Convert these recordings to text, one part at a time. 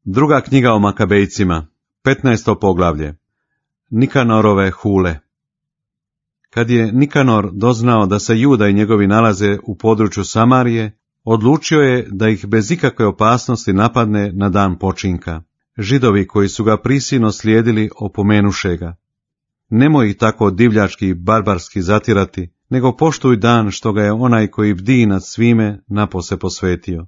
Druga knjiga o Makabejcima, 15. poglavlje. Nikanorove hule. Kad je Nikanor doznao da se Juda i njegovi nalaze u području Samarije, odlučio je da ih bez ikakve opasnosti napadne na dan počinka. Židovi koji su ga prisilno slijedili opomenuše ga: nemoj ih tako divljački i barbarski zatirati, nego poštuj dan što ga je onaj koji bdi nad svime napose posvetio.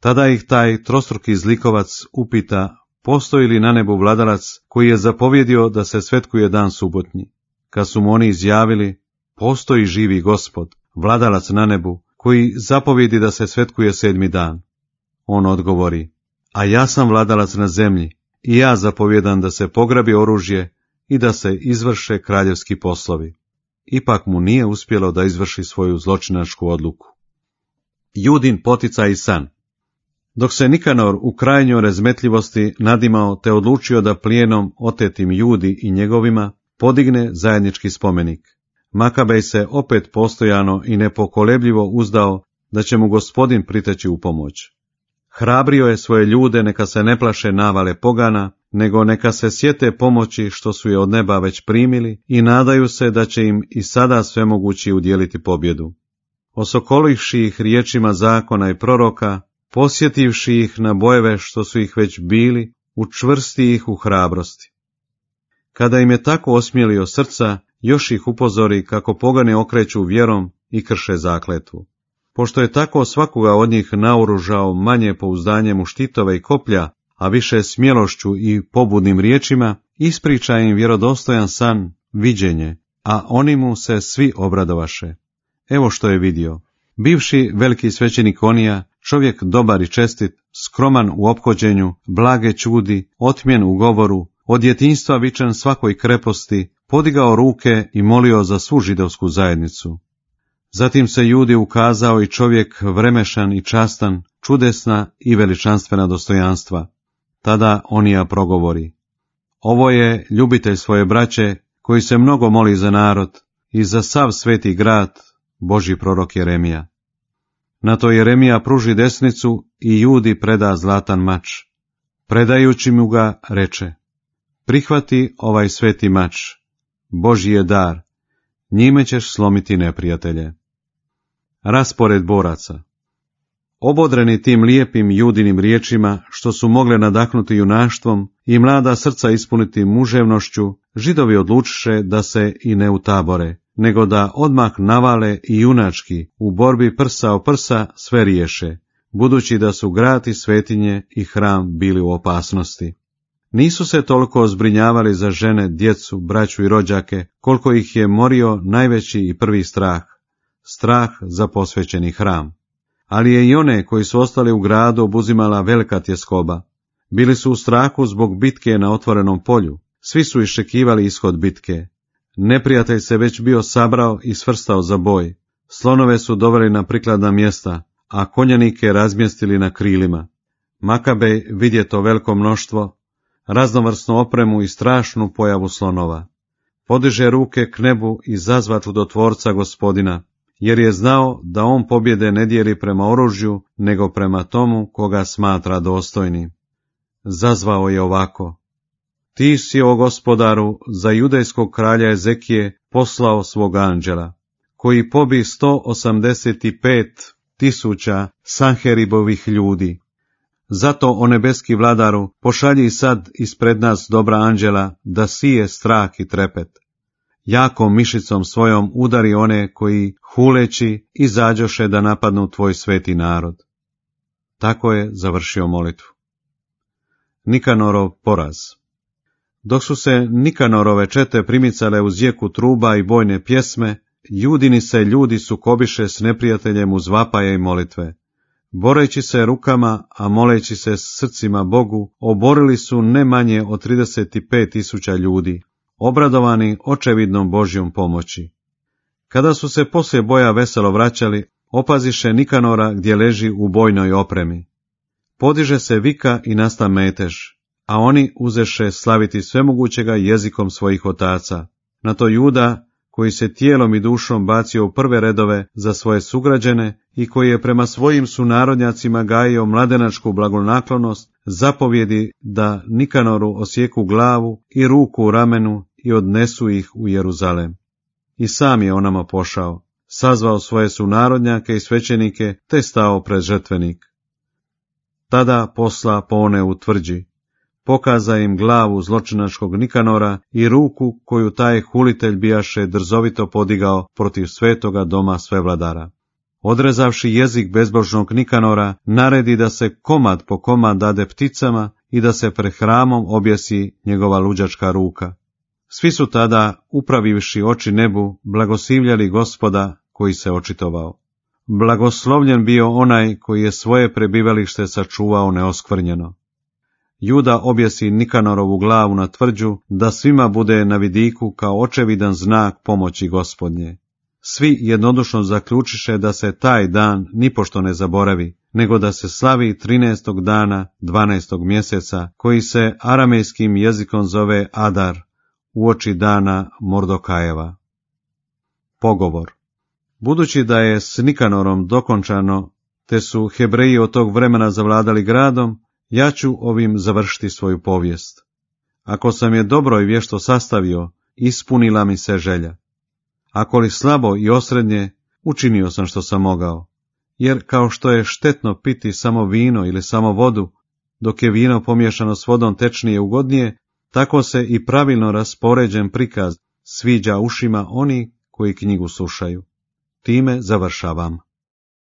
Tada ih taj trostruki zlikovac upita postoji li na nebu vladalac koji je zapovjedio da se svetkuje dan subotnji. Kad su mu oni izjavili: postoji živi Gospod, vladalac na nebu, koji zapovjedi da se svetkuje 7. dan. On odgovori: a ja sam vladalac na zemlji i ja zapovjedam da se pograbi oružje i da se izvrše kraljevski poslovi. Ipak mu nije uspjelo da izvrši svoju zločinačku odluku. Judin poticaj i san. Dok se Nikanor u krajnjoj razmetljivosti nadimao te odlučio da plijenom otetim Judi i njegovima podigne zajednički spomenik, Makabej se opet postojano i nepokolebljivo uzdao da će mu Gospodin priteći u pomoć. Hrabrio je svoje ljude neka se ne plaše navale pogana, nego neka se sjete pomoći što su je od neba već primili i nadaju se da će im i sada svemogući udjeliti pobjedu. Osokolivši ih riječima zakona i proroka, posjetivši ih na bojeve što su ih već bili, učvrsti ih u hrabrosti. Kada im je tako osmijelio srca, još ih upozori kako pogani okreću vjerom i krše zakletvu. Pošto je tako svakoga od njih naoružao manje pouzdanjem u štitove i koplja, a više smjelošću i pobudnim riječima, ispriča im vjerodostojan san, viđenje, a oni mu se svi obradovaše. Evo što je vidio. Bivši veliki svećenik Onija, čovjek dobar i čestit, skroman u ophođenju, blage čudi, otmjen u govoru, od djetinjstva vičan svakoj kreposti, podigao ruke i molio za svu židovsku zajednicu. Zatim se Judi ukazao i čovjek vremešan i častan, čudesna i veličanstvena dostojanstva. Tada Onija progovori: ovo je ljubitelj svoje braće, koji se mnogo moli za narod i za sav sveti grad, Božji prorok Jeremija. Na to Jeremija pruži desnicu i Judi preda zlatan mač. Predajući mu ga reče: prihvati ovaj sveti mač, Božji je dar, njime ćeš slomiti neprijatelje. Raspored boraca. Obodreni tim lijepim Judinim riječima, što su mogle nadahnuti junaštvom i mlada srca ispuniti muževnošću, Židovi odlučiše da se i ne utabore, nego da odmah navale i junački u borbi prsa o prsa sve riješe, budući da su grad i svetinje i hram bili u opasnosti. Nisu se toliko zbrinjavali za žene, djecu, braću i rođake, koliko ih je morio najveći i prvi strah, strah za posvećeni hram. Ali je i one koji su ostali u gradu obuzimala velika tjeskoba. Bili su u strahu zbog bitke na otvorenom polju, svi su iščekivali ishod bitke. Neprijatelj se već bio sabrao i svrstao za boj, slonove su doveli na prikladna mjesta, a konjanike razmjestili na krilima. Makabej vidje to veliko mnoštvo, raznovrsnu opremu i strašnu pojavu slonova. Podiže ruke k nebu i zazva čudotvorca Gospodina, jer je znao da on pobjede ne dijeli prema oružju, nego prema tomu koga smatra dostojnim. Zazvao je ovako: ti si, o Gospodaru, za judejskog kralja Ezekije poslao svog anđela, koji pobi 185.000 Sanheribovih ljudi. Zato, o nebeski vladaru, pošalji sad ispred nas dobra anđela, da sije strah i trepet. Jakom mišicom svojom udari one koji, huleći, izađoše da napadnu tvoj sveti narod. Tako je završio molitvu. Nikanorov poraz. Dok su se Nikanorove čete primicale uz jeku truba i bojne pjesme, Judini se ljudi sukobiše s neprijateljem uz vapaje i molitve. Boreći se rukama, a moleći se srcima Bogu, oborili su ne manje od 35.000 ljudi, obradovani očevidnom Božjom pomoći. Kada su se poslije boja veselo vraćali, opaziše Nikanora gdje leži u bojnoj opremi. Podiže se vika i nasta metež, a oni uzeše slaviti svemogućega jezikom svojih otaca. Na to Juda, koji se tijelom i dušom bacio u prve redove za svoje sugrađene i koji je prema svojim sunarodnjacima gajio mladenačku blagonaklonost, zapovjedi da Nikanoru osjeku glavu i ruku u ramenu i odnesu ih u Jeruzalem. I sam je onamo pošao, sazvao svoje sunarodnjake i svećenike, te stao pred žrtvenik. Tada posla pone u tvrđi, pokaza im glavu zločinačkog Nikanora i ruku koju taj hulitelj bijaše drzovito podigao protiv svetoga doma svevladara. Odrezavši jezik bezbožnog Nikanora, naredi da se komad po komad dade pticama i da se pred hramom objesi njegova luđačka ruka. Svi su tada, upravivši oči nebu, blagoslivljali Gospoda koji se očitovao. Blagoslovljen bio onaj koji je svoje prebivalište sačuvao neoskvrnjeno. Juda objesi Nikanorovu glavu na tvrđu, da svima bude na vidiku kao očevidan znak pomoći Gospodnje. Svi jednodušno zaključiše da se taj dan nipošto ne zaboravi, nego da se slavi 13. dana 12. mjeseca, koji se aramejskim jezikom zove Adar, uoči dana Mordokajeva. Pogovor. Budući da je s Nikanorom dokončano, te su Hebreji od tog vremena zavladali gradom, ja ću ovim završiti svoju povijest. Ako sam je dobro i vješto sastavio, ispunila mi se želja. Ako li slabo i osrednje, učinio sam što sam mogao. Jer kao što je štetno piti samo vino ili samo vodu, dok je vino pomiješano s vodom tečnije i ugodnije, tako se i pravilno raspoređen prikaz sviđa ušima oni koji knjigu slušaju. Time završavam.